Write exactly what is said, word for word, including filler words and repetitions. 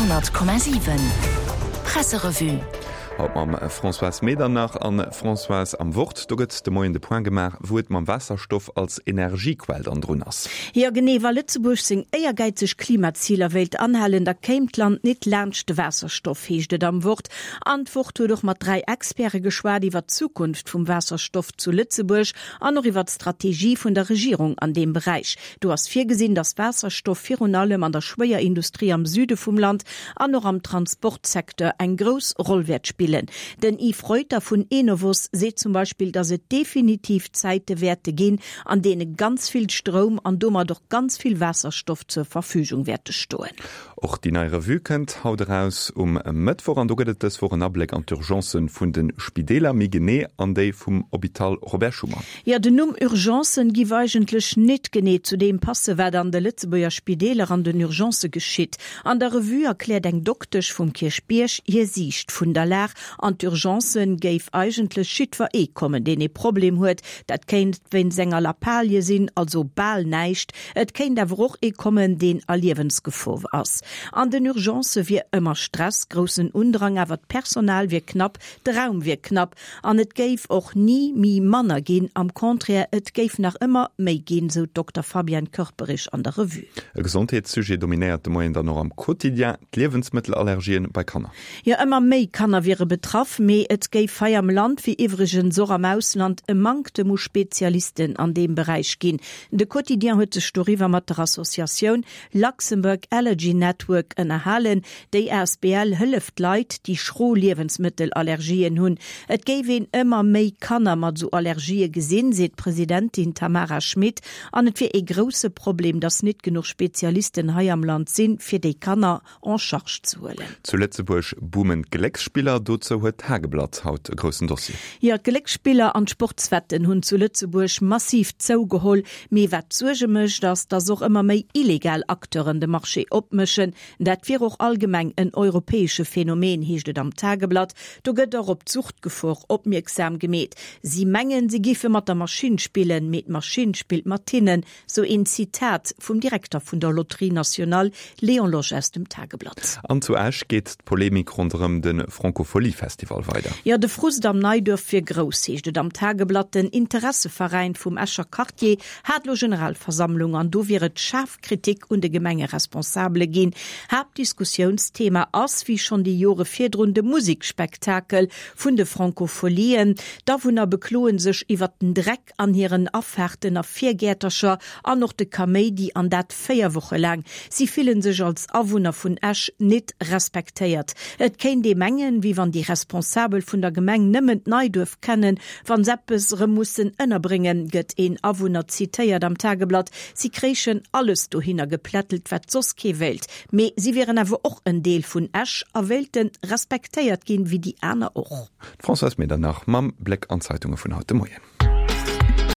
honnert Komma siwen Presserevue. Haut mam Françoise Medernach. An Françoise, am Wort, do gëtt de Moien de Point gemaach, wou et mam Waasserstoff als Energiequell dann drun ass. Jo genee, wa Lëtzebuerg seng éiergäizeg Klimaziler wéilt anhalen, da kéim d'Land nit laanscht de Waasserstoff, heescht et am Wort. An d'Wort huet och mat dräi Experte geschwat iwwer d'Zukunft vum Waasserstoff zu Lëtzebuerg an och iwwer d'Strategie vun der Regierung an deem Beräich. Do ass virgesinn, datt Waasserstoff virun allem an der Schwéierindustrie am Süde vum Land an och am Transportsecteur eng grouss Roll wäert spillen. Den Yves Reuter vun Enovos seet zum Beispill, datt et definitiv Zäite wäerte ginn, an deene ganz vill Stroum an domat och ganz vill Waasserstoff zur Verfügung wäerte stoen. Och déi nei Revue kënnt haut eraus um Mëttwoch an do gëtt et dës Woch en Abléck an d'Urgencen vun de Spideeler, méi genee an déi vum Hôpital Robert Schuman. Jo, den Numm Urgencen giff eigentlech nit genee zu deem passe wat an de Lëtzebuerger Spideeler an den Urgencë geschitt. An der Revue erkläert eng Doktesch vum Kierchbierg hir Siicht vun der Lag. An d'Urgencen géif eigentlech jiddwer ee kommen, deen ee Problem huet. Dat kéint wéinst enger Lappalie sinn, also bal näischt. Et kéint awer och ee kommen, deen a Liewensgefor ass. An den Urgencë wier ëmmer Stress, groussen Undrang, awer d'Personal wier knapp, de Raum wier knapp an et géif och ni mi manner ginn, am Contraire, et géif nach ëmmer méi ginn, sou d'Dokter Fabienne Körperich an der Revue. E Gesondheetssujet dominéiert de Moien dann och am Quotidien, d'Liewensmëttelallergien bei Kanner. Jo, ëmmer méi Kanner wiere betraff, mee et géif hei am Land, wéi iwwregens och am Ausland, e Manktem u Spezialisten an deem Beräich ginn. De Quotidien huet sech doriwwer mat der Associatioun Luxembourg Allergy Network ënnerhalen. Déi asbl hëlleft Leit, déi schro Liewensmëttelallergien hunn. Et géif een ëmmer méi Kanner mat esou Allergië gesinn, seet d'Presidentin Tamara Schmit. An et wier ee grousse Problem, datt nit genuch Spezialisten hei am Land sinn, fir déi Kanner en charge ze huelen. Zu Lëtzebuerg boomen d'Glécksspiller, dozou huet d'Tageblatt haut e groussen Dossier. Jo, d'Glécksspiller an d'Sportswetten hunn zu Lëtzebuerg massiv zougeholl. Mee wat Suerge mécht, ass, datt och ëmmer méi illegal Acteuren de Marché opmëschen. Dat wier och allgemeng en europäesche Phänomen, heescht et am Tageblatt. Do gëtt och op d'Suchtgefor opmierksam gemeet. Si mengen, si giffe mat der Maschinn spillen, mee d'Maschinn spillt mat hinnen, sou een Zitat vum Direkter vun der Loterie Nationale, Léon Losch aus dem Tageblatt. An zu Esch geet d'Polemik ronderëm de Francofolies-Festival weider. Jo, de Frust am Neiduerf wier grouss, heescht et am Tageblatt. Den Interesseveräin vum Escher Quartier hat lo Generalversammlung an do wier et schaarf Kritik un de Gemengeresponsabele ginn. Haaptdiskussiounsthema ass, wéi schonn déi Jore virdrun, de Musekspektakel vun de Francofolien. D'Awunner bekloe sech iwwert den Dreck an hiren Afaarten a Virgäertercher an och de Kaméidi, an dat véier Woche laang. Si fillen sech als Awunner vun Esch nit respektéiert. Et kéint ee mengen, wéi wann déi Responsabel vun der Gemeng nëmmen d'Neiduerf kennen, wann s'eppes erëm mussen ënnerbréngen, gëtt een Awunner zitéiert am Tageblatt. Si kréichen alles dohinner geplättelt, wat soss kee wéilt. Mee si wieren awer och en Deel vun Esch a wéilte respektéiert ginn, wéi déi aner och. D'Françoise Medernach mam Bléck an d'Zeitunge vun haut de Moien.